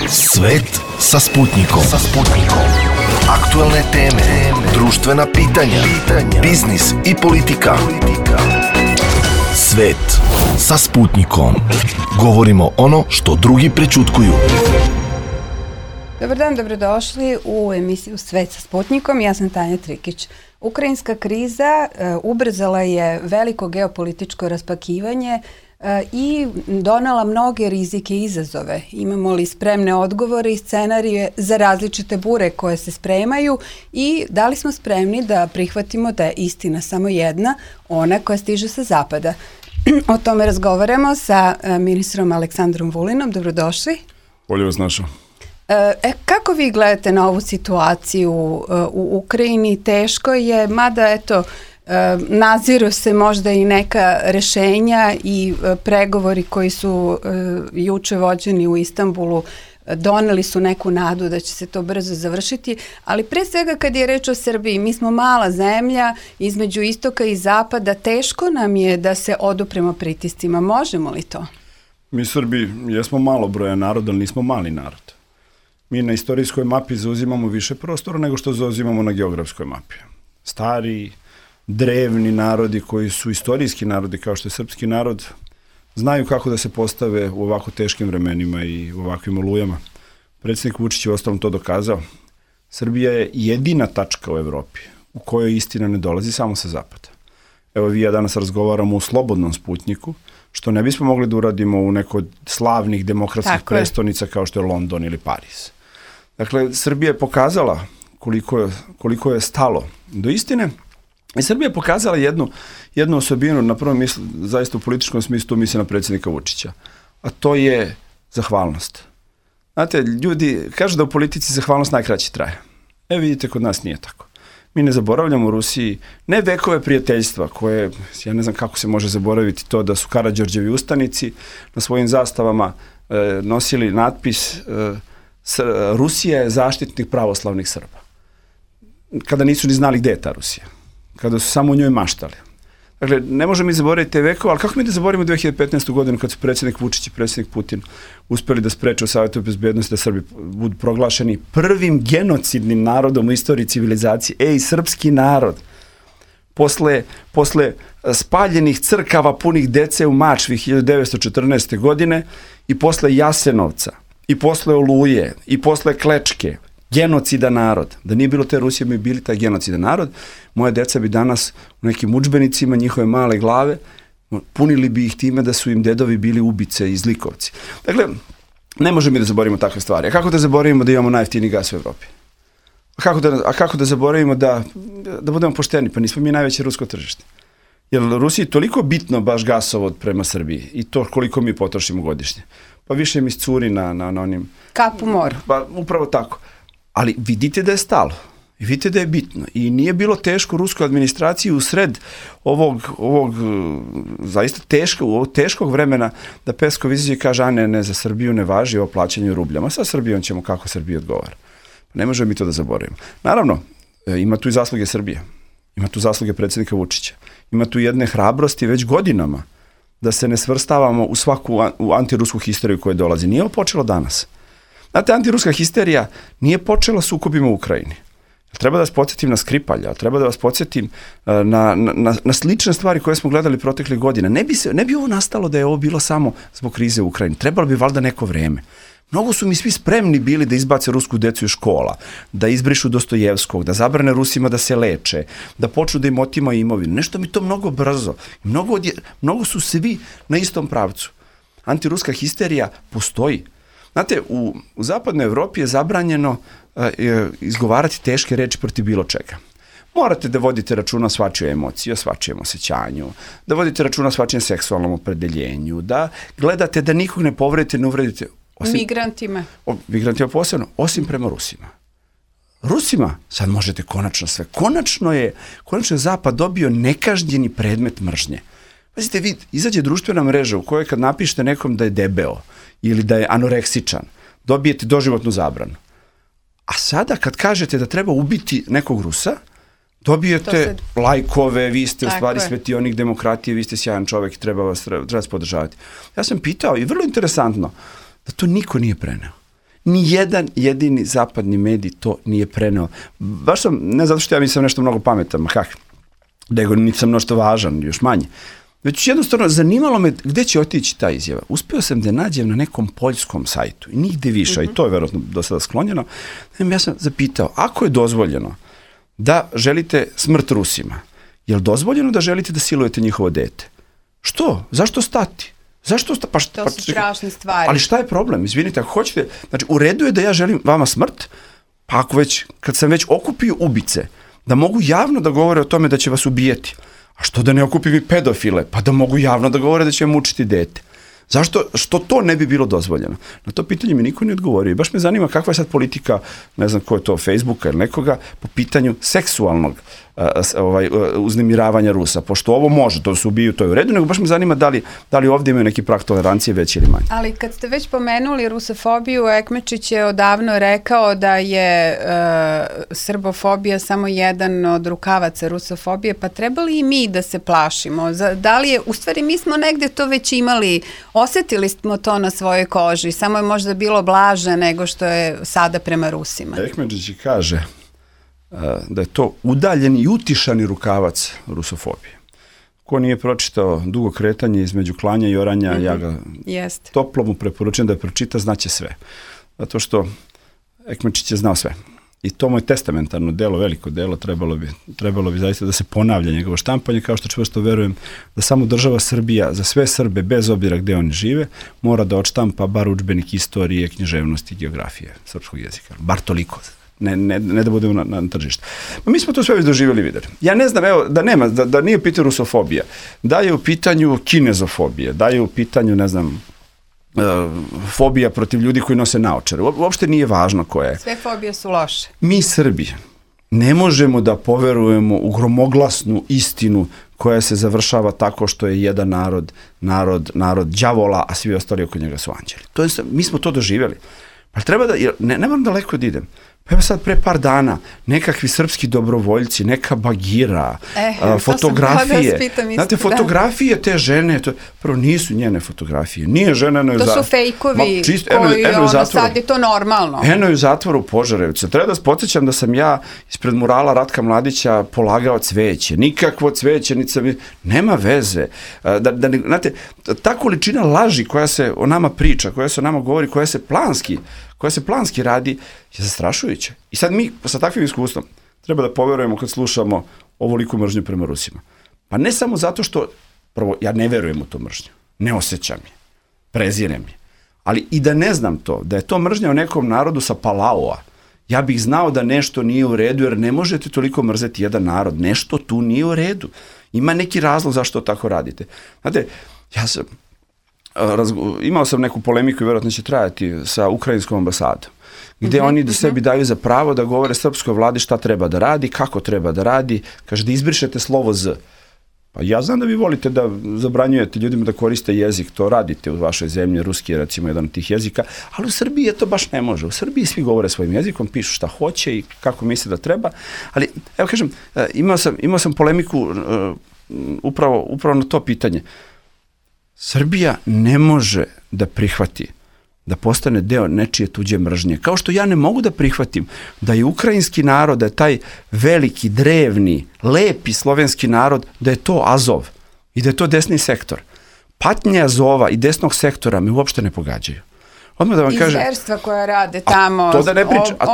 Svet sa Sputnikom. Aktualne teme, društvena pitanja, biznis i politika. Svet sa Sputnikom. Govorimo ono što drugi prećutkuju. Dobar dan, dobrodošli u emisiju Svet sa Sputnikom. Ja sam Tanja Trikić. Ukrajinska kriza ubrzala je veliko geopolitičko raspakivanje i donela mnoge rizike i izazove. Imamo li spremne odgovore i scenarije za različite bure koje se spremaju i da li smo spremni da prihvatimo da je istina samo jedna, ona koja stiže sa zapada. O tome razgovaramo sa ministrom Aleksandrom Vulinom. Dobrodošli. Bolje vas našao. Kako vi gledate na ovu situaciju u Ukrajini? Teško je, mada eto, naziru se možda i neka rešenja i pregovori koji su juče vođeni u Istanbulu doneli su neku nadu da će se to brzo završiti, ali pre svega kad je reč o Srbiji, mi smo mala zemlja između istoka i zapada, teško nam je da se odupremo pritiscima. Možemo li to? Mi Srbi jesmo malo broja naroda, ali nismo mali narod. Mi na istorijskoj mapi zauzimamo više prostora nego što zauzimamo na geografskoj mapi. Stari, drevni narodi koji su istorijski narodi kao što je srpski narod znaju kako da se postave u ovako teškim vremenima i u ovakvim olujama. Predsjednik Vučić je ostalom to dokazao. Srbija je jedina tačka u Evropi u kojoj istina ne dolazi samo sa zapada. Evo vi ja danas razgovaramo u slobodnom Sputniku, što ne bismo mogli da uradimo u nekoj od slavnih demokratskih prestonica kao što je London ili Pariz. Dakle, Srbija je pokazala koliko je stalo do istine i Srbija je pokazala jednu osobinu, na prvom mislu, zaista u političkom smislu, tu misli na predsjednika Vučića, a to je zahvalnost. Znate, ljudi kažu da u politici zahvalnost najkraće traje. Vidite, kod nas nije tako. Mi ne zaboravljamo u Rusiji ne vekove prijateljstva koje, ja ne znam kako se može zaboraviti to da su Karađorđevi ustanici na svojim zastavama nosili natpis Rusija je zaštitnik pravoslavnih Srba. Kada nisu ni znali gde je ta Rusija. Kada su samo u njoj maštali. Dakle, ne možemo mi zaboraviti te vekove, ali kako mi da zaboravimo 2015. godinu kad su predsjednik Vučić i predsjednik Putin uspeli da spreče u Savetu bezbednosti da Srbi budu proglašeni prvim genocidnim narodom u istoriji civilizacije. Srpski narod. Posle spaljenih crkava punih dece u Mačvi 1914. godine i posle Jasenovca, i posle Oluje, i posle Klečke, genocida narod. Da nije bilo te Rusije, mi bili taj genocida narod, moje deca bi danas u nekim udžbenicima, njihove male glave, punili bi ih time da su im dedovi bili ubice i zlikovci. Dakle, ne možemo mi da zaboravimo takve stvari. A kako da zaboravimo da imamo najjeftiniji gas u Evropi? A kako da zaboravimo da budemo pošteni? Pa nismo mi najveće rusko tržište. Jer Rusiji je toliko bitno baš gasovod prema Srbiji i to koliko mi potrošimo godišnje. Pa više mi iscuri na onim... Kap u moru. Pa upravo tako. Ali vidite da je stalo. I vidite da je bitno. I nije bilo teško ruskoj administraciji u sred ovog zaista teškog vremena da Peskov izađe i kaže, a ne, za Srbiju ne važi ovo plaćanje u rubljama. Sa Srbijom ćemo kako Srbija odgovara. Ne možemo mi to da zaboravimo. Naravno, ima tu i zasluge Srbije. Ima tu zasluge predsjednika Vučića. Ima tu jedne hrabrosti već godinama da se ne svrstavamo u svaku antirusku histeriju koja dolazi. Nije ovo počelo danas. Znate, antiruska histerija nije počela sukobima u Ukrajini. Treba da vas podsjetim na Skripalja, treba da vas podsjetim na slične stvari koje smo gledali proteklih godina. Ne bi ovo nastalo da je ovo bilo samo zbog krize u Ukrajini. Trebalo bi valjda neko vreme. Mnogo su mi svi spremni bili da izbace rusku decu iz škola, da izbrišu Dostojevskog, da zabrane Rusima da se leče, da počnu da im otimaju imovinu. Nešto mi to mnogo brzo. Mnogo su svi na istom pravcu. Antiruska histerija postoji. Znate, u zapadnoj Evropi je zabranjeno izgovarati teške reči protiv bilo čega. Morate da vodite računa o svačijoj emociji, o svačijem osjećanju, da vodite računa o svačijem seksualnom opredeljenju, da gledate da nikog ne povredite, ne uvredite. Migrantima Migrantima posebno, osim prema Rusima. Rusima sad možete konačno sve. Konačno je Zapad dobio nekažnjeni predmet mržnje. Pazite, vi izađe društvena mreža u kojoj kad napišete nekom da je debeo ili da je anoreksičan, dobijete doživotnu zabranu. A sada kad kažete da treba ubiti nekog Rusa, dobijete lajkove, vi ste u stvari svetionik demokratije, vi ste sjajan čovek i treba vas podržavati. Ja sam pitao i vrlo interesantno da to niko nije preneo. Ni jedan jedini zapadni medij to nije preneo. Baš sam, ne zato što ja mislim nešto mnogo pametan, nego nisam nešto važan, još manje. Već jednostavno zanimalo me gde će otići ta izjava. Uspeo sam da nađem na nekom poljskom sajtu i nigde više, i to je verovatno do sada sklonjeno. Ja sam zapitao, ako je dozvoljeno da želite smrt Rusima, je li dozvoljeno da želite da silujete njihovo dete? Što? Zašto stati? To su strašne stvari. Ali šta je problem? Izvinite, ako hoćete, znači u redu je da ja želim vama smrt, pa ako već, kad sam već okupio ubice, da mogu javno da govore o tome da će vas ubijeti. A što da ne okupim i pedofile? Pa da mogu javno da govore da će mučiti dete. Zašto? Što to ne bi bilo dozvoljeno? Na to pitanje mi niko ne odgovorio. I baš me zanima kakva je sad politika, ne znam ko je to, Facebooka ili nekoga, po pitanju seksualnog uznemiravanja Rusa. Pošto ovo može, to se ubiju, to je u redu, nego baš me zanima da li ovdje imaju neki prag tolerancije veći ili manji. Ali kad ste već pomenuli rusofobiju, Ekmečić je odavno rekao da je srbofobija samo jedan od rukavaca rusofobije, pa trebali i mi da se plašimo? Da li je, u stvari mi smo negde to već imali, osetili smo to na svojoj koži, samo je možda bilo blaže nego što je sada prema Rusima. Ekmečić kaže da je to udaljen i utišani rukavac rusofobije. Ko nije pročitao Dugo kretanje između klanja i oranja, ja ga toplo mu preporučujem da je pročita, znaće sve. Zato što Ekmečić je znao sve. I to mu je testamentarno delo, veliko delo, trebalo bi zaista da se ponavlja njegovo štampanje, kao što čvrsto verujem da samo država Srbija za sve Srbe, bez obzira gde oni žive, mora da odštampa bar udžbenik istorije, književnosti i geografije srpskog jezika. Bar toliko. Ne da budemo na tržištu. Mi smo to sve već doživjeli, videli. Ja ne znam, evo, da nije u pitanju rusofobija, da je u pitanju kinezofobija, da je u pitanju, ne znam, fobija protiv ljudi koji nose naočare. Uopšte nije važno koja je. Sve fobije su loše. Mi Srbi ne možemo da poverujemo u gromoglasnu istinu koja se završava tako što je jedan narod đavola, a svi ostali oko njega su anđeli. Mi smo to doživjeli. Pa treba da, ne moram daleko da idem. Pa evo sad pre par dana, nekakvi srpski dobrovoljci, neka bagira, fotografije. Znate, fotografije te žene, prvo nisu njene fotografije, nije žena eno je to su fejkovi koji sad je to normalno. Eno je u zatvoru u Požarevcu. Treba da vas podsjećam da sam ja ispred murala Ratka Mladića polagao cveće. Nikakvo cveće, nema veze. Znate, ta količina laži koja se o nama priča, koja se o nama govori, koja se planski radi, je zastrašujuće. I sad mi sa takvim iskustvom treba da poverujemo kad slušamo ovoliku mržnju prema Rusima. Pa ne samo zato što, prvo, ja ne verujem u tu mržnju, ne osjećam je, prezirem je, ali i da ne znam to, da je to mržnja o nekom narodu sa Palaua, ja bih znao da nešto nije u redu, jer ne možete toliko mrzeti jedan narod, nešto tu nije u redu. Ima neki razlog zašto tako radite. Znate, imao sam neku polemiku i vjerojatno će trajati sa ukrajinskom ambasadom, gde oni sebi daju za pravo da govore srpskoj vladi šta treba da radi, kako treba da radi, kaže da izbrišete slovo Z. Pa ja znam da vi volite da zabranjujete ljudima da koriste jezik, to radite u vašoj zemlji, ruski je recimo jedan od tih jezika, ali u Srbiji to baš ne može. U Srbiji svi govore svojim jezikom, pišu šta hoće i kako misle da treba, ali evo kažem, imao sam polemiku upravo na to pitanje. Srbija ne može da prihvati da postane deo nečije tuđe mržnje. Kao što ja ne mogu da prihvatim da je ukrajinski narod, da je taj veliki, drevni, lepi slovenski narod, da je to Azov i da je to desni sektor. Patnje Azova i desnog sektora me uopšte ne pogađaju. Odmah da vam kažem, zverstva koja rade tamo,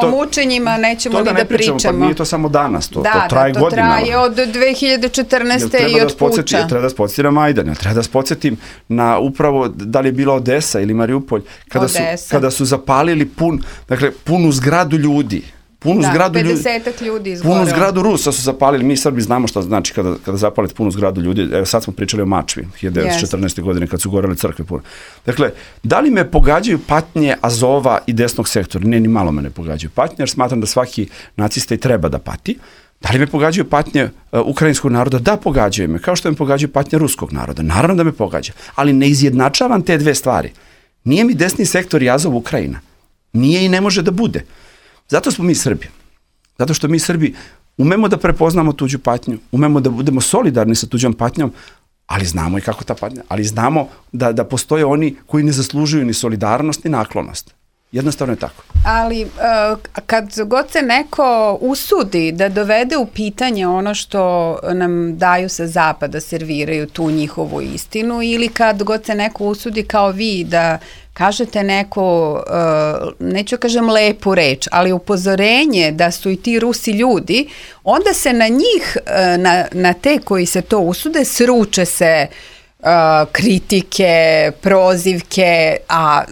o mučenjima nećemo ni da pričamo. Pa nije to samo danas, to traje godinama. Da, to traje od 2014. i od puča. Treba da se podsjetim na Majdan, treba da se podsjetim na upravo da li je bila Odesa ili Mariupolj, kada su zapalili punu zgradu ljudi. 50-ak ljudi izgoreo. Punu zgradu Rusa su zapalili, mi Srbi znamo šta znači kada zapalite punu zgradu ljudi, evo sad smo pričali o Mačvi, 1914. godine kad su gorele crkve puno. Dakle, da li me pogađaju patnje Azova i desnog sektora? Ne, ni malo me ne pogađaju patnje, jer smatram da svaki nacista i treba da pati. Da li me pogađaju patnje ukrajinskog naroda? Da, pogađaju me, kao što me pogađaju patnje ruskog naroda. Naravno da me pogađa, ali ne izjednačavam te dve stvari. Nije mi desni sektor i Azov Ukrajina. Nije i ne može da bude. Zato smo mi Srbi. Zato što mi Srbi umemo da prepoznamo tuđu patnju, umemo da budemo solidarni sa tuđom patnjom, ali znamo i kako ta patnja, ali znamo da postoje oni koji ne zaslužuju ni solidarnost ni naklonost. Jednostavno je tako. Ali kad god se neko usudi da dovede u pitanje ono što nam daju sa zapada, serviraju tu njihovu istinu, ili kad god se neko usudi kao vi da kažete neko, neću kažem lepu reč, ali upozorenje da su i ti Rusi ljudi, onda se na njih, na te koji se to usude, sruče se kritike, prozivke, a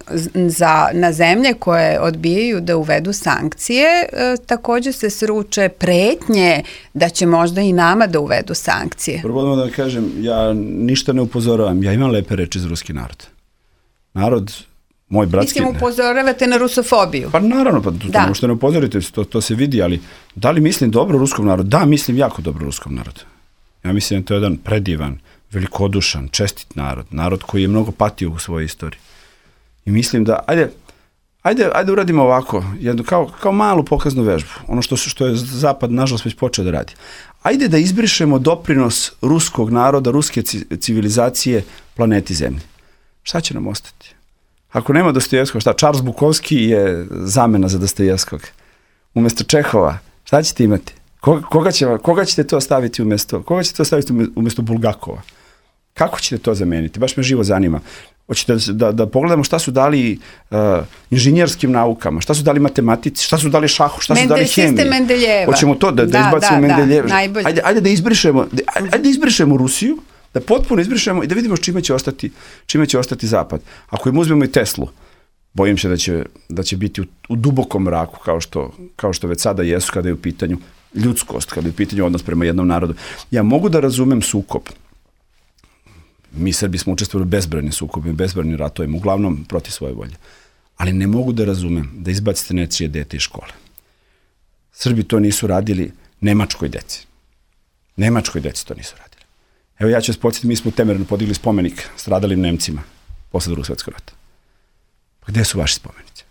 na zemlje koje odbijaju da uvedu sankcije, takođe se sruče pretnje da će možda i nama da uvedu sankcije. Prvo da kažem, ja ništa ne upozoravam, ja imam lepe reči za ruski narod. Narod, moj bratski... Mislim, upozoravate na rusofobiju. Pa naravno, pa to možete ne upozorite, to se vidi, ali da li mislim dobro ruskom narodu? Da, mislim jako dobro ruskom narodu. Ja mislim da to je jedan predivan, velikodušan, čestit narod koji je mnogo patio u svojoj istoriji. I mislim da, ajde uradimo ovako, jednu, kao malu pokaznu vežbu, ono što je Zapad nažalost već počeo da radi. Ajde da izbrišemo doprinos ruskog naroda, ruske civilizacije planeti Zemlji. Šta će nam ostati? Ako nema Dostojevskog, šta? Charles Bukowski je zamena za Dostojevskog. Umesto Čehova, šta ćete imati? Koga ćete to staviti umjesto Bulgakova? Kako ćete to zameniti? Baš me živo zanima. Hoćete da pogledamo šta su dali inženjerskim naukama, šta su dali matematici, šta su dali šahu, šta su dali hemiji. Sistem Mendeljeva. Hoćemo to da izbacimo Mendeljeva. Ajde da izbrišemo Rusiju, da potpuno izbrišemo i da vidimo čime će ostati Zapad. Ako im uzmemo i Teslu, bojim se da će biti u dubokom mraku, kao što već sada jesu kada je u pitanju ljudskost, kada je u pitanju odnos prema jednom narodu. Ja mogu da razumem sukob. Mi Srbi smo učestvovali u bezbrojnim sukobima, bezbrojnim ratovima, uglavnom protiv svoje volje. Ali ne mogu da razumem da izbacite nečije dete iz škole. Srbi to nisu radili Nemačkoj deci. Nemačkoj deci to nisu radili. Evo ja ću vas podsjetiti, mi smo u Temerinu podigli spomenik stradalim Nemcima posle Drugog svjetskog rata. Pa gde su vaši spomenici?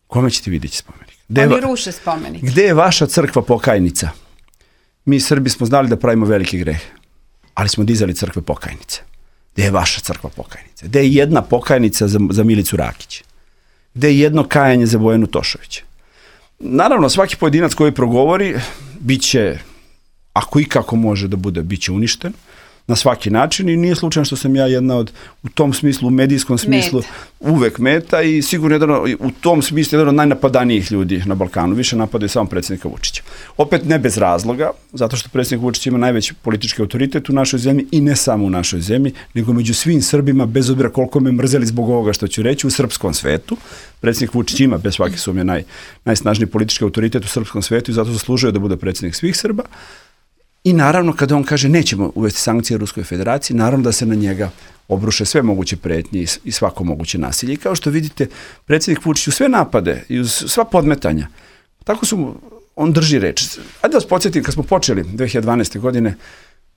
Kome ćete vidjeti spomenik? Oni ruše spomenik. Gde je vaša crkva pokajnica? Mi Srbi smo znali da pravimo velike grehe, ali smo dizali crkve pokajnice. Gde je vaša crkva pokajnica? Gde je jedna pokajnica za Milicu Rakić? Gde je jedno kajanje za Bojanu Tošovića? Naravno, svaki pojedinac koji progovori, bit će, ako i kako može da bude, bit će uništen na svaki način i nije slučajno što sam ja jedna od, u tom smislu, u medijskom smislu, uvek meta i sigurno u tom smislu jedan od najnapadanijih ljudi na Balkanu. Više napadaju samo predsjednika Vučića. Opet ne bez razloga, zato što predsjednik Vučić ima najveći politički autoritet u našoj zemlji i ne samo u našoj zemlji, nego među svim Srbima, bez obzira koliko me mrzeli zbog ovoga što ću reći, u srpskom svetu. Predsjednik Vučić ima, bez svake sumnje, najsnažniji politički autoritet u srpskom svetu i zato zaslužuje da bude predsjednik svih Srba. I naravno kada on kaže nećemo uvesti sankcije Ruskoj federaciji, naravno da se na njega obruše sve moguće pretnje i svako moguće nasilje. I kao što vidite, predsjednik Vučić u sve napade i uz sva podmetanja, tako on drži reč. Ajde da vas podsjetim, kad smo počeli 2012. godine,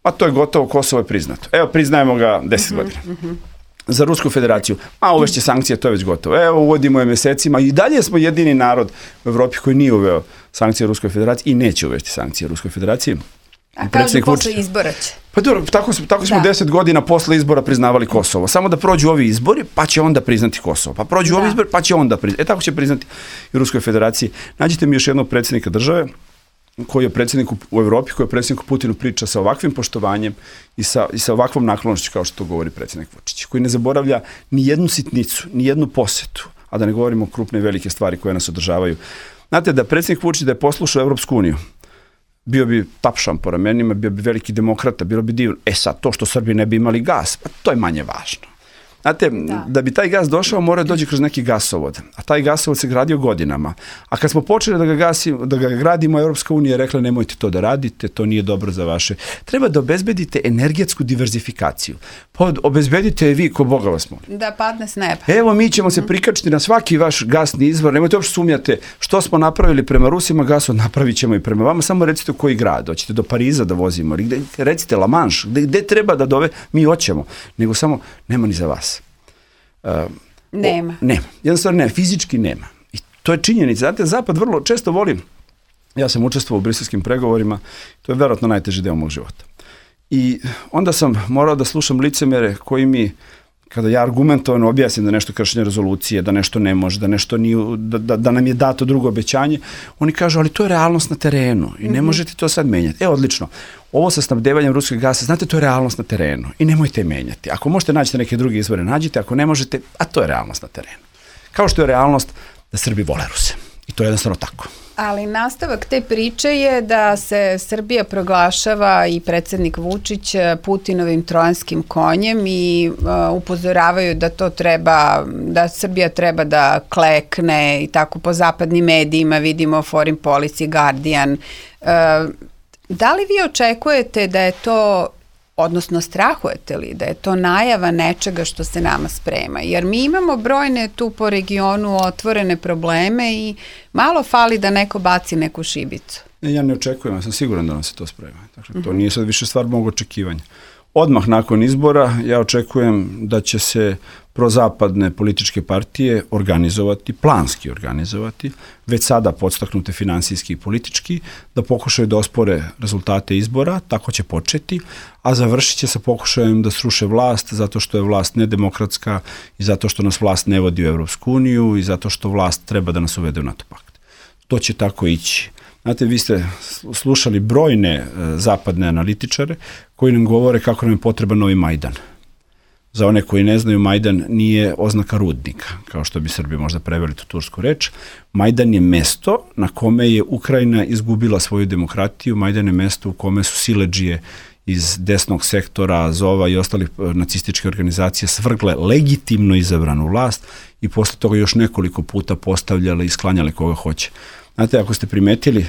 pa to je gotovo, Kosovo je priznato. Evo, priznajemo ga 10 godina. Za Rusku federaciju, uvešće sankcije, to je već gotovo. Evo, uvodimo je mesecima i dalje smo jedini narod u Evropi koji nije uveo sankcije Ruskoj federaciji i neće uvesti sankcije Ruskoj federaciji. A kažu posle izbora će. Pa dobro, tako smo 10 godina posle izbora priznavali Kosovo. Samo da prođu ovi izbori, pa će onda priznati Kosovo. Pa prođu ovi izbori, pa će onda priznati. Tako će priznati i Ruskoj federaciji. Nađite mi još jednog predsjednika države koji je predsjednik u Evropi, koji je predsjedniku Putinu priča sa ovakvim poštovanjem i sa ovakvom naklonošću kao što to govori predsjednik Vučić, koji ne zaboravlja ni jednu sitnicu, ni jednu posetu, a da ne govorimo o krupne i velike stvari koje nas održavaju. Znate, da predsjednik Vučić da je poslušao Evropsku uniju, bio bi tapšan po ramenima, bio bi veliki demokrata, bilo bi divno. Sad, to što Srbi ne bi imali gas, pa to je manje važno. Znate, da bi taj gas došao, mora dođe kroz neki gasovod, a taj gasovod se gradio godinama. A kad smo počeli da ga gradimo, Europska unija je rekla nemojte to da radite, to nije dobro za vaše. Treba da obezbedite energetsku diverzifikaciju. Pa obezbedite vi, ko Boga vas molim. Da padne s neba. Evo, mi ćemo se prikačiti na svaki vaš gasni izvor, nemojte uopšte sumnjate što smo napravili prema Rusima, gasovod napravit ćemo i prema vama, samo recite u koji grad, hoćete do Pariza da vozimo, recite La Manche, gde treba da mi hoćemo, nego samo nema ni za vas. Nema. Jednostavno nema, fizički nema. I to je činjenica. Znate, Zapad vrlo često voli, ja sam učestvovao u briselskim pregovorima, to je verovatno najteži deo mog života. I onda sam morao da slušam licemere koji mi kada ja argumentovano objasnim da nešto kršenje rezolucije, da nešto ne može, da nešto nije, da nam je dato drugo obećanje, oni kažu, ali to je realnost na terenu i ne možete to sad menjati. Odlično. Ovo sa snabdevanjem ruskog gasa, znate, to je realnost na terenu i nemojte menjati. Ako možete naći neke druge izvore, nađite, ako ne možete, a to je realnost na terenu. Kao što je realnost da Srbi vole Ruse. I to je jednostavno tako. Ali nastavak te priče je da se Srbija proglašava i predsjednik Vučić Putinovim trojanskim konjem i upozoravaju da to treba, da Srbija treba da klekne i tako po zapadnim medijima vidimo Foreign Policy, Guardian. Da li vi očekujete da je to, odnosno strahujete li da je to najava nečega što se nama sprema? Jer mi imamo brojne tu po regionu otvorene probleme i malo fali da neko baci neku šibicu. Ja ne očekujem, ja sam siguran da nam se to sprema. Dakle, to nije sad više stvar mog očekivanja. Odmah nakon izbora ja očekujem da će se prozapadne političke partije organizovati, planski organizovati, već sada podstaknute finansijski i politički, da pokušaju da ospore rezultate izbora, tako će početi, a završit će sa pokušajem da sruše vlast zato što je vlast nedemokratska i zato što nas vlast ne vodi u Evropsku uniju i zato što vlast treba da nas uvede u NATO pakt. To će tako ići. Znate, vi ste slušali brojne zapadne analitičare koji nam govore kako nam je potreban novi Majdan. Za one koji ne znaju, Majdan nije oznaka rudnika, kao što bi Srbi možda preveli tu tursku reč. Majdan je mesto na kome je Ukrajina izgubila svoju demokratiju, Majdan je mesto u kome su siledžije iz desnog sektora, Azova i ostalih nacističke organizacije svrgle legitimno izabranu vlast i posle toga još nekoliko puta postavljale i sklanjale koga hoće. Znate, ako ste primetili,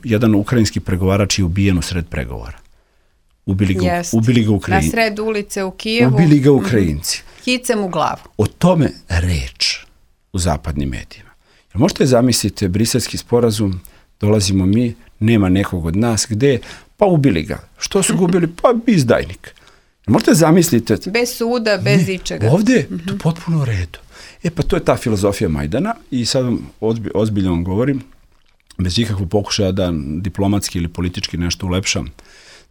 jedan ukrajinski pregovarač je ubijen u sred pregovora. Ubili ga Ukrajinci. Na sred ulice u Kijevu. Ubili ga Ukrajinci. Hicem u glavu. O tome reč u zapadnim medijima. Jer možete zamisliti briselski sporazum, dolazimo mi, nema nekog od nas, gde? Pa ubili ga. Što su ga ubili? Pa izdajnik. Možete zamisliti. Bez suda, bez ičega. Ovde je to potpuno u redu. Pa to je ta filozofija Majdana i sad vam ozbiljno vam govorim, bez ikakvog pokušaja da diplomatski ili politički nešto ulepšam,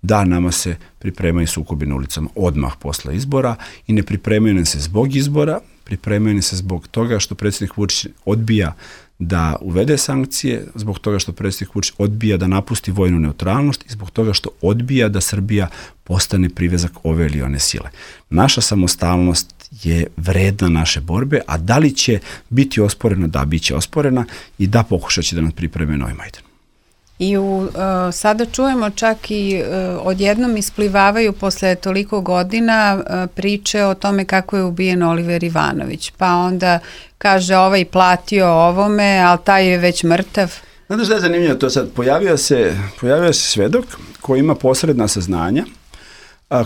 da nama se pripremaju sukobi na ulicama odmah posle izbora i ne pripremaju nam se zbog izbora, pripremaju nam se zbog toga što predsjednik Vučić odbija da uvede sankcije, zbog toga što predsjednik Vučić odbija da napusti vojnu neutralnost i zbog toga što odbija da Srbija postane privezak ove ili one sile. Naša samostalnost je vredna naše borbe, a da li će biti osporena? Da, bit će osporena i da pokušat će da nas pripreme novi Majdan. I sada čujemo čak i odjednom isplivavaju posle toliko godina priče o tome kako je ubijen Oliver Ivanović. Pa onda kaže ovaj platio ovome, ali taj je već mrtav. Znate šta je zanimljivo? To sad pojavio se svedok koji ima posredna saznanja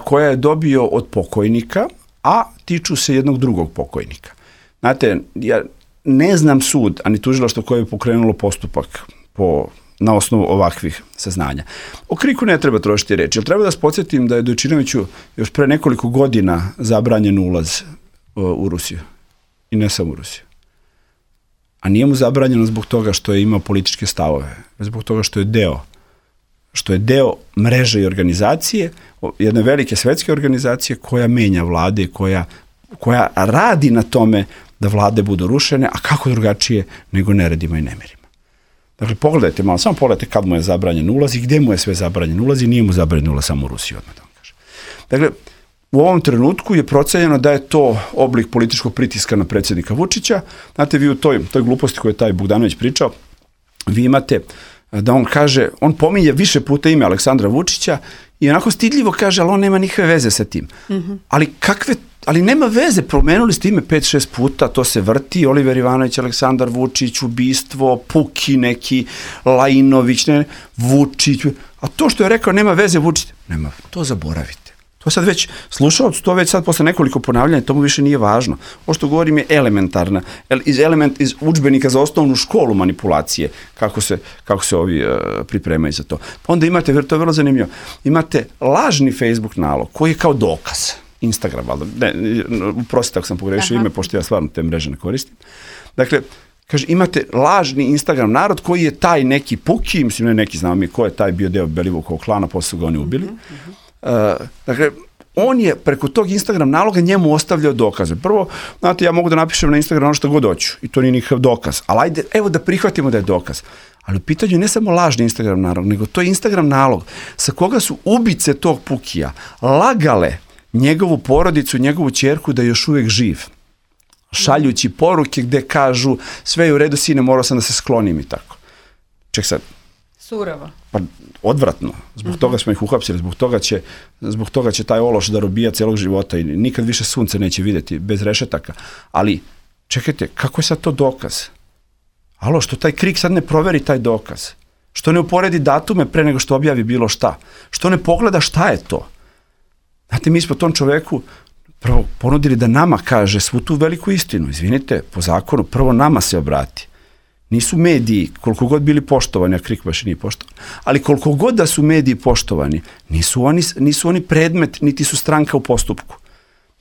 koja je dobio od pokojnika, a tiču se jednog drugog pokojnika. Znate, ja ne znam sud, ani tužilaštvo koje je pokrenulo postupak na osnovu ovakvih saznanja. O Kriku ne treba trošiti reči, jer treba da vas podsjetim da je Dojčinoviću još pre nekoliko godina zabranjen ulaz u Rusiju. I ne samo u Rusiju. A nije mu zabranjeno zbog toga što je imao političke stavove, zbog toga što je deo mreže i organizacije, jedne velike svetske organizacije koja menja vlade, koja radi na tome da vlade budu rušene, a kako drugačije nego neredima i nemirima. Dakle, pogledajte malo, samo pogledajte kad mu je zabranjen ulaz i gde mu je sve zabranjen ulaz i nije mu zabranjen ulaz samo u Rusiji, odmah da vam kažem. Dakle, u ovom trenutku je procenjeno da je to oblik političkog pritiska na predsjednika Vučića. Znate, vi u toj gluposti koju je taj Bogdanović pričao, vi imate da on kaže, on pominje više puta ime Aleksandra Vučića i onako stidljivo kaže, ali on nema nikakve veze sa tim. Ali nema veze, promenuli ste ime 5-6 puta, to se vrti, Oliver Ivanović, Aleksandar Vučić, ubistvo, Puki neki, Lajinović, Vučić, a to što je rekao nema veze Vučić, nema, to zaboravite. To sad već slušalac, to već sad posle nekoliko ponavljanja, to mu više nije važno. Ovo što govorim je elementarna, iz udžbenika za osnovnu školu manipulacije, kako se ovi pripremaju za to. Pa onda imate, to je vrlo zanimljivo, imate lažni Facebook nalog koji je kao dokaz. Instagram, valjda, prostite ako sam pogrešio ime, pošto ja stvarno te mreže ne koristim. Dakle, kaže, imate lažni Instagram narod koji je taj neki Puki, mislim ne neki, znamo mi ko je taj bio deo Belivukovog klana, posle ga oni ubili. Dakle, on je preko tog Instagram naloga njemu ostavljao dokaze. Prvo, znate, ja mogu da napišem na Instagram ono što god hoću i to nije nikakav dokaz, ali ajde, evo da prihvatimo da je dokaz. Ali u pitanju ne samo lažni Instagram nalog, nego to je Instagram nalog sa koga su ubice tog Pukija lagale njegovu porodicu, njegovu ćerku da je još uvijek živ. Šaljući poruke gde kažu sve je u redu, sine, morao sam da se sklonim i tako. Ček sad. Suravo. Pa odvratno. Zbog toga smo ih uhapsili, zbog toga će taj ološ da robija celog života i nikad više sunce neće vidjeti bez rešetaka. Ali, čekajte, kako je sad to dokaz? Alo, što taj KRIK sad ne proveri taj dokaz? Što ne uporedi datume pre nego što objavi bilo šta? Što ne pogleda šta je to? Znate, mi smo tom čoveku prvo ponudili da nama kaže svu tu veliku istinu. Izvinite, po zakonu, prvo nama se obrati. Nisu mediji, koliko god bili poštovani, a KRIK baš nije poštovan, ali koliko god da su mediji poštovani, nisu oni predmet, niti su stranka u postupku.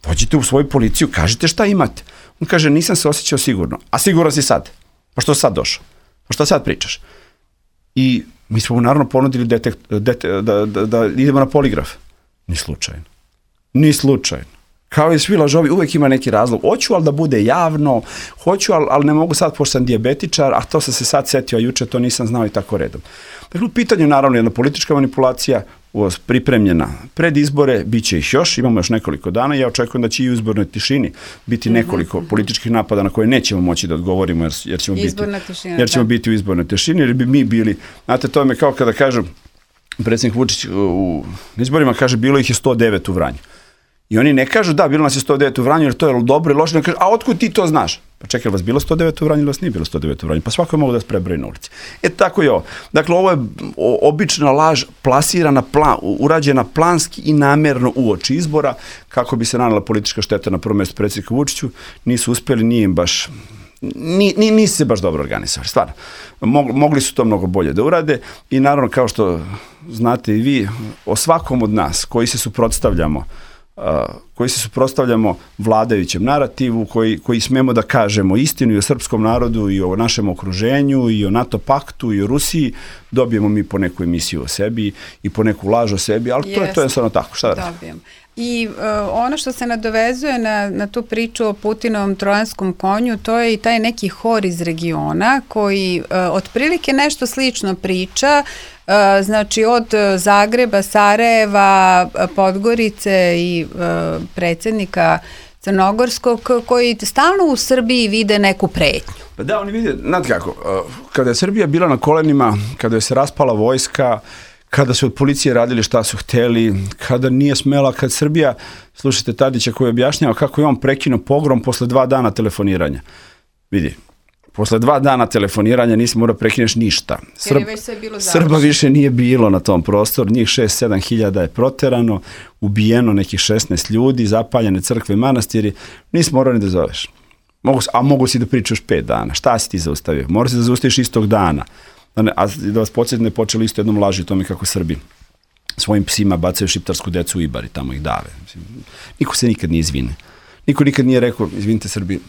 Dođite u svoju policiju, kažite šta imate. On kaže, nisam se osjećao sigurno. A siguran si sad? Pa što sad došao? Pa što sad pričaš? I mi smo mu naravno ponudili da idemo na poligraf. Ni slučajno. Ni slučajno. Kao i svi lažovi, uvek ima neki razlog. Hoću, ali da bude javno, hoću, ali ne mogu sad, pošto sam dijabetičar, a to sam se sad setio, a juče to nisam znao i tako redom. Dakle, u pitanju naravno jedna politička manipulacija, pripremljena pred izbore, bit će ih još, imamo još nekoliko dana, ja očekujem da će i u izbornoj tišini biti nekoliko političkih napada na koje nećemo moći da odgovorimo, jer ćemo biti u izbornoj tišini, jer bi mi bili, znate, to je kao kada kažem, predsjednik Vučić u izborima kaže, bilo ih je 109 u Vranju. I oni ne kažu, da, bilo nas je 109 u Vranju, jer to je dobro i loše, ne kažu, a otkud ti to znaš? Pa čekaj, vas bilo 109 u Vranju ili vas nije bilo 109 u Vranju? Pa svako je mogu da se prebroji na ulici. Tako je ovo. Dakle, ovo je obična laž plasirana, urađena planski i namerno uoči izbora, kako bi se nanela politička šteta na prvom mjestu predsjednika Vučiću. Nisu uspjeli, nije im baš... Nisu se baš dobro organizovali, stvarno. Mogli su to mnogo bolje da urade i naravno, kao što znate i vi, o svakom od nas koji se suprotstavljamo vladajućem narativu, koji smemo da kažemo istinu i o srpskom narodu i o našem okruženju i o NATO paktu i o Rusiji, dobijemo mi po neku emisiju o sebi i po neku laž o sebi, ali to je stvarno tako. Šta da radim? I ono što se nadovezuje na tu priču o Putinovom trojanskom konju, to je i taj neki hor iz regiona koji otprilike nešto slično priča, znači od Zagreba, Sarajeva, Podgorice i predsjednika Crnogorskog, koji stalno u Srbiji vide neku pretnju. Pa da, oni vide, znate kako, kada je Srbija bila na kolenima, kada je se raspala vojska, kada su od policije radili šta su hteli, kada nije smela, kad Srbija, slušajte Tadića koji objašnjava kako je on prekinuo pogrom posle 2 dana telefoniranja. Vidi, posle 2 dana telefoniranja nisi morao prekineš ništa. Srba više nije bilo na tom prostoru, njih 6-7 hiljada je proterano, ubijeno nekih 16 ljudi, zapaljene crkve i manastiri, nisi morao ni da zoveš. Mogu si da pričaš 5 dana, šta si ti zaustavio? Moraš se da zaustaviš istog dana. A da vas podsjetim, je počelo isto jednom laži o tome kako Srbi svojim psima bacaju šiptarsku decu u Ibar i tamo ih dave. Niko se nikad nije izvine. Niko nikad nije rekao, izvinite Srbi,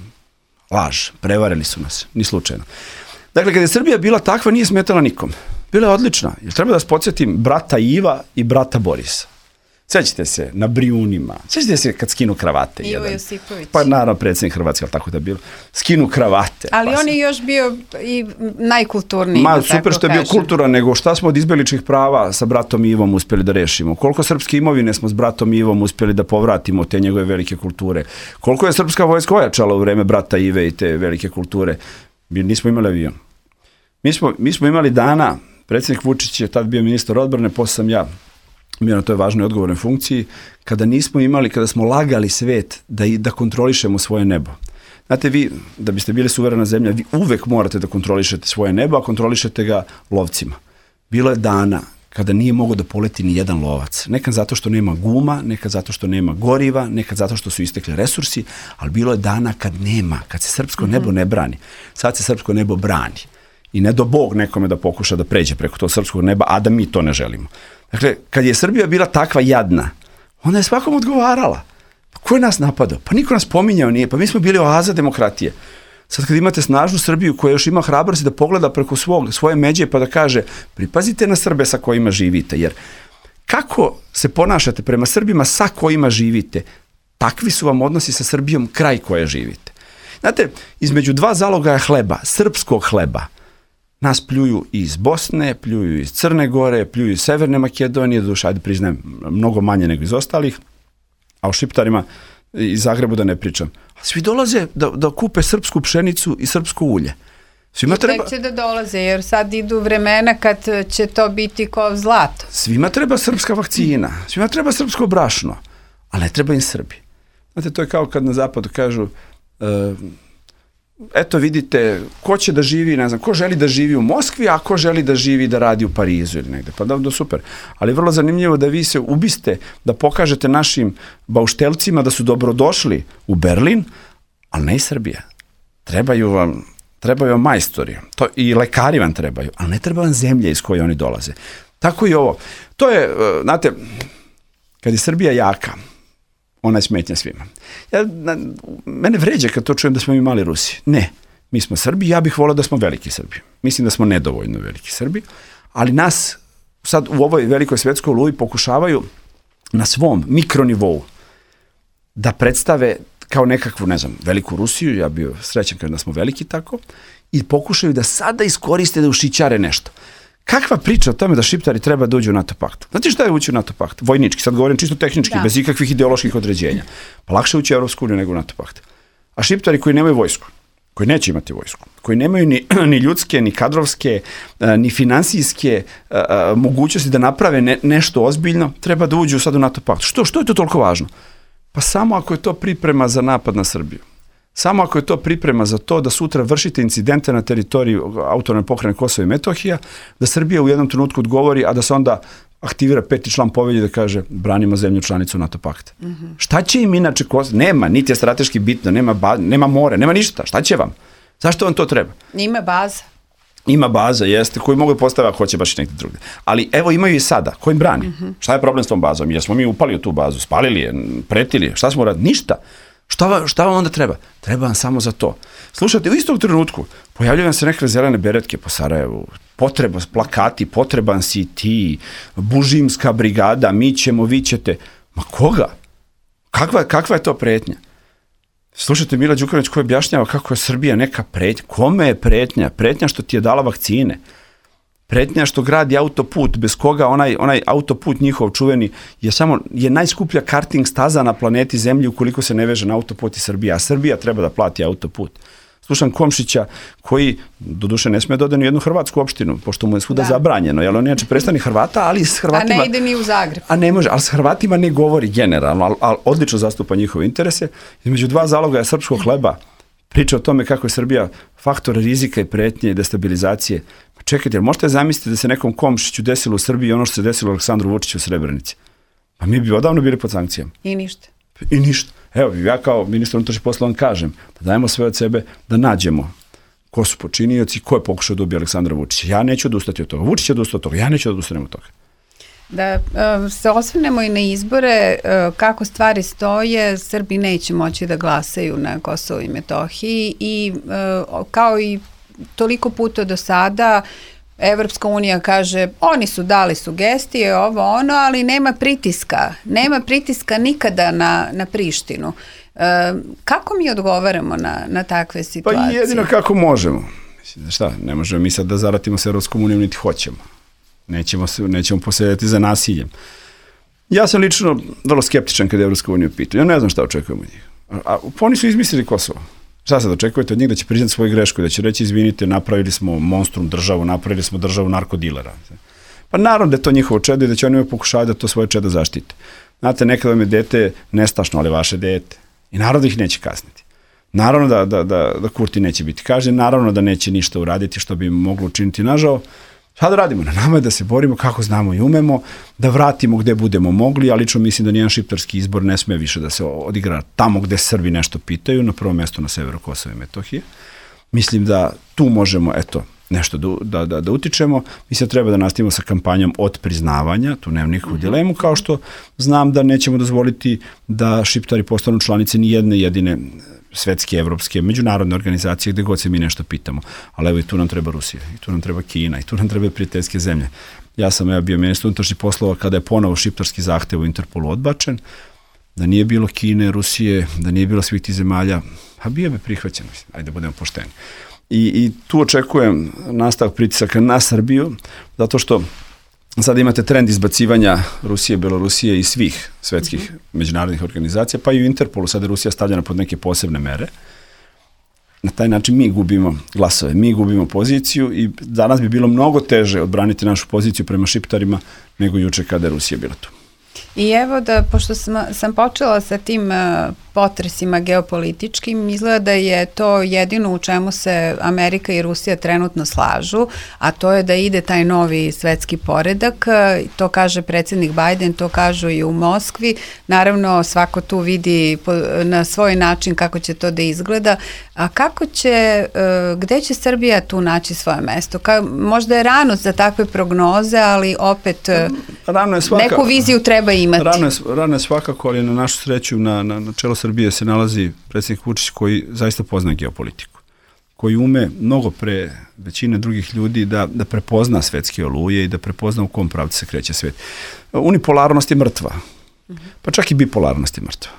laž, prevarili su nas, ni slučajno. Dakle, kada je Srbija bila takva, nije smetala nikom. Bila je odlična. Jer treba da vas podsjetim brata Iva i brata Borisa. Sećate se na Brijunima, sećate se kad skinu kravate. Ivo Josipović. Pa naravno predsjednik Hrvatske, ali tako da je bilo. Skinu kravate. Ali on je još bio i najkulturniji. Super što je bio kulturan, nego šta smo od izbjegličkih prava sa bratom Ivom uspjeli da rešimo. Koliko srpske imovine smo s bratom Ivom uspjeli da povratimo te njegove velike kulture. Koliko je srpska vojska ojačala u vreme brata Ive i te velike kulture. Nismo imali avion. Mi smo imali dana, predsjednik Vučić je tad bio ministar odbrane, posle sam ja bio na toj važnoj odgovornoj funkciji, kada smo lagali svet da kontrolišemo svoje nebo. Znate, vi, da biste bili suverena zemlja, vi uvek morate da kontrolišete svoje nebo, a kontrolišete ga lovcima. Bilo je dana kada nije mogao da poleti ni jedan lovac. Nekad zato što nema guma, nekad zato što nema goriva, nekad zato što su istekli resursi, ali bilo je dana kad se srpsko nebo ne brani. Sad se srpsko nebo brani. I ne do Bog nekome da pokuša da pređe preko tog srpskog neba, a da mi to ne želimo. Dakle, kad je Srbija bila takva jadna, onda je svakom odgovarala. Pa ko je nas napadao? Pa niko nas pominjao nije, pa mi smo bili oaza demokratije. Sad kad imate snažnu Srbiju koja još ima hrabrosti da pogleda preko svoje međe pa da kaže, pripazite na Srbe sa kojima živite, jer kako se ponašate prema Srbima sa kojima živite, takvi su vam odnosi sa Srbijom kraj koje živite. Znate, između dva zalogaja hleba, srpskog hleba, nas pljuju iz Bosne, pljuju iz Crne Gore, pljuju iz Severne Makedonije, doduše, ajde priznajem, mnogo manje nego iz ostalih, a o Šiptarima iz Zagrebu da ne pričam. A svi dolaze da kupe srpsku pšenicu i srpsko ulje. Svima treba... će da dolaze, jer sad idu vremena kad će to biti kao zlato. Svima treba srpska vakcina, svima treba srpsko brašno, ali ne treba im Srbi. Znate, to je kao kad na zapadu kažu, eto vidite, ko će da živi, ne znam, ko želi da živi u Moskvi, a ko želi da živi da radi u Parizu ili negde. Pa da, super. Ali vrlo zanimljivo da vi se ubiste, da pokažete našim bauštelcima da su dobrodošli u Berlin, ali ne i Srbija. Trebaju vam majstori, to i lekari vam trebaju, ali ne treba vam zemlje iz koje oni dolaze. Tako i ovo. To je, znate, kad je Srbija jaka, ona je smetnja svima. Mene vređa kad to čujem da smo mi mali Rusi. Ne, mi smo Srbi, ja bih volao da smo veliki Srbi. Mislim da smo nedovoljno veliki Srbi, ali nas sad u ovoj velikoj svetskoj oluji pokušavaju na svom mikronivou da predstave kao nekakvu, ne znam, veliku Rusiju, ja bio srećan kada smo veliki tako, i pokušaju da sada iskoriste da ušićare nešto. Kakva priča o tome da Šiptari treba da uđu u NATO pakt? Znate šta je ući u NATO pakt? Vojnički, sad govorim čisto tehnički, bez ikakvih ideoloških određenja. Pa lakše ući u Evropsku uniju nego u NATO pakt. A Šiptari koji nemaju vojsku, koji neće imati vojsku, koji nemaju ni ljudske, ni kadrovske, ni finansijske mogućnosti da naprave nešto ozbiljno, treba da uđu sad u NATO pakt. Što je to toliko važno? Pa samo ako je to priprema za napad na Srbiju. Samo ako je to priprema za to da sutra vršite incidente na teritoriji autonomne pokrajine Kosova i Metohija, da Srbija u jednom trenutku odgovori, a da se onda aktivira 5. član povelje da kaže branimo zemlju članicu NATO pakta. Šta će im inače Kosovo? Nema, niti je strateški bitno, nema more, nema ništa. Šta će vam? Zašto vam to treba? Ima baza. Ima baza, jeste, koju mogu postaviti ako hoće baš i negdje drugdje. Ali evo imaju i sada, ko im brani? Šta je problem s tom bazom? Jesmo mi upali u tu bazu, spalili je, pretili je, šta smo uradili? Ništa. Šta vam onda treba? Treba vam samo za to. Slušajte, u istog trenutku pojavljaju vam se neke zelene beretke po Sarajevu, plakati, potreban si ti, bužimska brigada, mi ćemo, vi ćete. Ma koga? Kakva je to pretnja? Slušajte, Mila Đukanović koji objašnjava kako je Srbija neka pretnja. Kome je pretnja? Pretnja što ti je dala vakcine. Pretnja što gradi autoput, bez koga onaj autoput njihov čuveni je najskuplja karting staza na planeti Zemlji ukoliko se ne veže na autoput i Srbija. A Srbija treba da plati autoput. Slušam Komšića koji, doduše, ne smije da ode ni u jednu hrvatsku opštinu, pošto mu je svuda zabranjeno, jer on je predstavnik Hrvata, ali s Hrvatima... A ne ide ni u Zagreb. A ne može, ali s Hrvatima ne govori generalno, ali odlično zastupa njihove interese. Između dva zalogaja srpskog hleba priča o tome kako je Srbija faktor rizika i pretnje i destabilizacije. Pa čekajte, možete zamisliti da se nekom Komšiću desilo u Srbiji ono što se desilo Aleksandru Vučiću u Srebrenici? Pa mi bi odavno bili pod sankcijama. I ništa. Evo, ja kao ministar unutrašnjih poslova kažem da dajemo sve od sebe da nađemo ko su počinioci, ko je pokušao da ubije Aleksandra Vučića. Ja neću odustati od toga. Vučić je odustao od toga. Ja neću odustanem od toga. Da se osvrnemo i na izbore, kako stvari stoje, Srbi neće moći da glasaju na Kosovo i Metohiji i kao i toliko puta do sada Evropska unija kaže oni su dali sugestije, ovo ono, ali nema pritiska nikada na Prištinu. Kako mi odgovaramo na takve situacije? Pa jedino kako možemo. Mislim, šta, ne možemo mi sad da zaratimo s Evropskom unijom niti hoćemo. Nećemo posedati za nasiljem. Ja sam lično vrlo skeptičan kada je Evropska unija pitao. Ja ne znam šta očekujem od njih. Oni su izmislili Kosovo. Šta sad očekujete od njih? Da će priznati svoju grešku, da će reći izvinite, napravili smo monstrum državu, napravili smo državu narkodilera. Pa naravno da je to njihovo čedo i da će oni pokušavati da to svoje čedo zaštite. Znate, nekada vam je dete nestašno, ali vaše dete. I naravno da ih neće kasniti. Naravno da Kurti neće biti kažnjen, naravno da neće ništa uraditi što bi moglo učiniti nažao. Šta da radimo? Na nama je da se borimo kako znamo i umemo, da vratimo gde budemo mogli, ali lično mislim da nijedan šiptarski izbor ne sme više da se odigra tamo gde Srbi nešto pitaju, na prvom mjestu na severu Kosova i Metohije. Mislim da tu možemo, nešto da utičemo. Mislim da treba da nastavimo sa kampanjom od priznavanja, tu nemam nikakvu dilemu, kao što znam da nećemo dozvoliti da Šiptari postanu članice ni jedne jedine svetske, evropske, međunarodne organizacije, gde god se mi nešto pitamo. Ali evo i tu nam treba Rusija, i tu nam treba Kina, i tu nam treba prijateljske zemlje. Ja sam bio ministar unutrašnjih poslova kada je ponovo šiptarski zahtev u Interpolu odbačen, da nije bilo Kine, Rusije, da nije bilo svih tih zemalja, a bio bi prihvaćen, ajde da budemo pošteni. I tu očekujem nastavak pritisaka na Srbiju, zato što sada imate trend izbacivanja Rusije, Belorusije i svih svetskih međunarodnih organizacija, pa i u Interpolu sada je Rusija stavljena pod neke posebne mere. Na taj način mi gubimo glasove, mi gubimo poziciju i danas bi bilo mnogo teže odbraniti našu poziciju prema šiptarima nego juče kada je Rusija bila tu. I evo da, pošto sam počela sa tim potresima geopolitičkim, izgleda da je to jedino u čemu se Amerika i Rusija trenutno slažu, a to je da ide taj novi svetski poredak, to kaže predsjednik Biden, to kažu i u Moskvi, naravno svako tu vidi na svoj način kako će to da izgleda, a kako će, gde će Srbija tu naći svoje mesto? Možda je rano za takve prognoze, ali opet neku viziju treba imati. Rano je svakako, ali na našu sreću na čelu Srbije se nalazi predsjednik Vučić koji zaista pozna geopolitiku, koji ume mnogo pre većine drugih ljudi da prepozna svetske oluje i da prepozna u kom pravcu se kreće svet. Unipolarnost je mrtva, pa čak i bipolarnost je mrtva.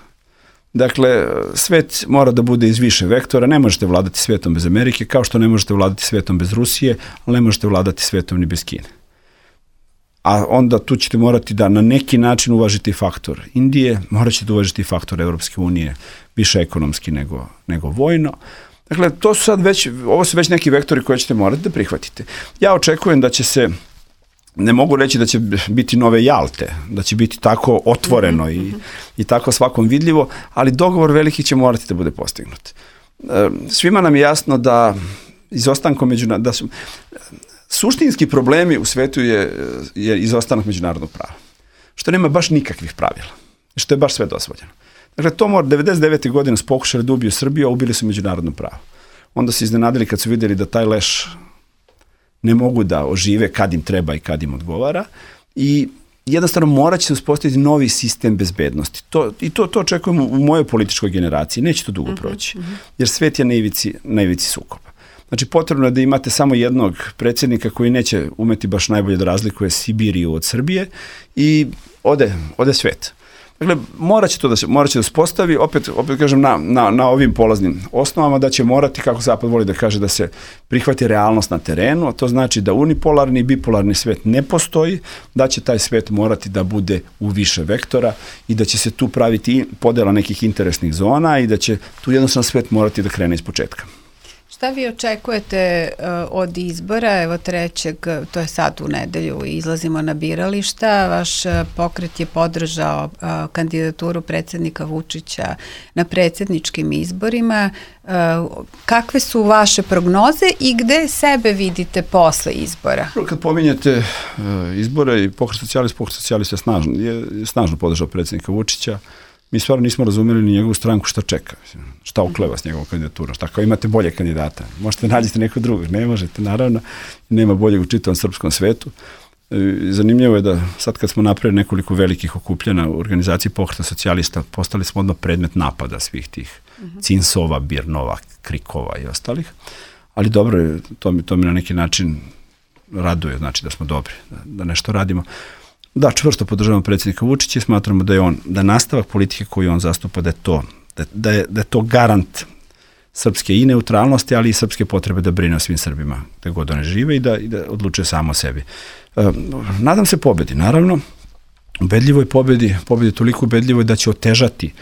Dakle, svet mora da bude iz više vektora, ne možete vladati svetom bez Amerike, kao što ne možete vladati svetom bez Rusije, ali ne možete vladati svetom ni bez Kine. A onda tu ćete morati da na neki način uvažite faktor Indije, morat ćete uvažiti faktor Evropske unije, više ekonomski nego vojno. Dakle, ovo su već neki vektori koje ćete morati da prihvatite. Ja očekujem da će se, ne mogu reći da će biti nove Jalte, da će biti tako otvoreno i tako svakom vidljivo, ali dogovor veliki će morati da bude postignut. Svima nam je jasno da izostankom suštinski problemi u svetu je izostanak međunarodnog prava, što nema baš nikakvih pravila, što je baš sve dozvoljeno. Dakle, to 99. godine su pokušali da ubiju Srbiju, a ubili su međunarodno pravo. Onda su iznenadili kad su vidjeli da taj leš ne mogu da ožive kad im treba i kad im odgovara i jednostavno morat će se uspostaviti novi sistem bezbednosti. To očekujemo u mojoj političkoj generaciji. Neće to dugo proći, jer svet je na ivici sukoba. Znači, potrebno je da imate samo jednog predsjednika koji neće umeti baš najbolje da razlikuje Sibiriju od Srbije i ode svet. Dakle, morat će da uspostavi, opet kažem, na ovim polaznim osnovama, da će morati, kako Zapad voli da kaže, da se prihvati realnost na terenu, a to znači da unipolarni i bipolarni svet ne postoji, da će taj svet morati da bude u više vektora i da će se tu praviti podela nekih interesnih zona i da će tu jednostavno svet morati da krene iz početka. Šta vi očekujete od izbora, evo 3. to je sad u nedelju, izlazimo na birališta, vaš pokret je podržao kandidaturu predsjednika Vučića na predsjedničkim izborima, kakve su vaše prognoze i gde sebe vidite posle izbora? Kad pominjete izbore i pokret socijalista je snažno podržao predsjednika Vučića. Mi stvarno nismo razumeli ni njegovu stranku šta čeka, šta okleva s njegovom kandidaturom, šta kao imate bolje kandidata, možete nađete nekog drugog, ne možete, naravno, nema boljeg u čitavom srpskom svetu. Zanimljivo je da sad kad smo napravili nekoliko velikih okupljena u organizaciji pokreta socijalista, postali smo odmah predmet napada svih tih Cinsova, Birnova, Krikova i ostalih, ali dobro, to mi na neki način raduje, znači da smo dobri, da nešto radimo. Da, čvrsto podržavamo predsjednika Vučića i smatramo da nastavak politike koju on zastupa, da je to garant srpske i neutralnosti, ali i srpske potrebe da brine o svim Srbima, gde god one žive i da odlučuje samo o sebi. Nadam se pobedi, naravno, ubedljivoj pobedi toliko ubedljivoj da će otežati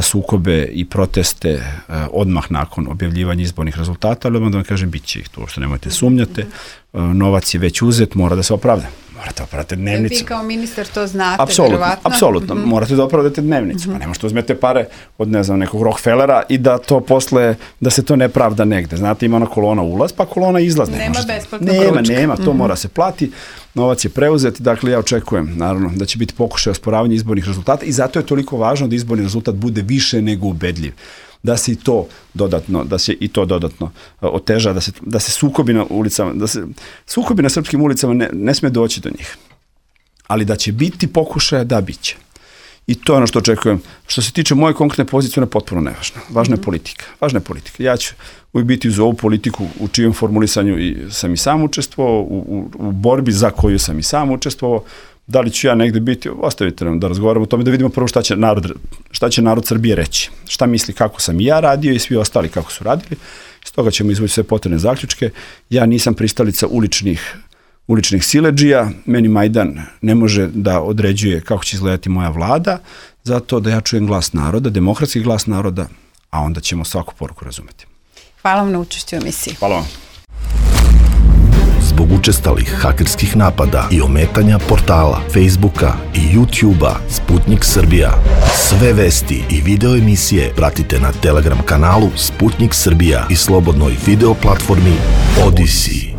sukobe i proteste odmah nakon objavljivanja izbornih rezultata, ali da vam kažem, bit će ih tu, što nemojte sumnjate, novac je već uzet, mora da se opravda. Morate opravdati dnevnicu. Vi kao ministar to znate, verovatno. Apsolutno, morate da opravdate dnevnicu. Pa ne možete uzmete pare od, nekog Rockefellera i da to posle, da se to ne pravda negde. Znate, ima ona kolona ulaz, pa kolona izlaz. Nema besplatnog ručka. Nema, to mora se plati, novac je preuzet, dakle ja očekujem, naravno, da će biti pokušaj osporavanja izbornih rezultata i zato je toliko važno da izborni rezultat bude više nego ubedljiv. Da se i to dodatno oteža, da se sukobi na ulicama, sukobi na srpskim ulicama ne sme doći do njih. Ali da će biti pokušaja, da biće. I to je ono što očekujem. Što se tiče moje konkretne pozicije, ona je potpuno nevažna. Važna je politika. Važna je politika. Ja ću uvijek biti uz ovu politiku u čijem formulisanju sam i sam učestvovao, u borbi za koju sam i sam učestvovao. Da li ću ja negde biti, ostavite nam da razgovaramo o tome, da vidimo prvo šta će narod Srbije reći. Šta misli kako sam i ja radio i svi ostali kako su radili. Iz toga ćemo izvući sve potrebne zaključke. Ja nisam pristalica uličnih siledžija, meni Majdan ne može da određuje kako će izgledati moja vlada, zato da ja čujem glas naroda, demokratski glas naroda, a onda ćemo svaku poruku razumeti. Hvala vam na učešću u emisiji. Hvala vam. Zbog učestalih hakerskih napada i ometanja portala, Facebooka i YouTubea Sputnik Srbija. Sve vesti i video emisije pratite na Telegram kanalu Sputnik Srbija i slobodnoj video platformi Odyssey.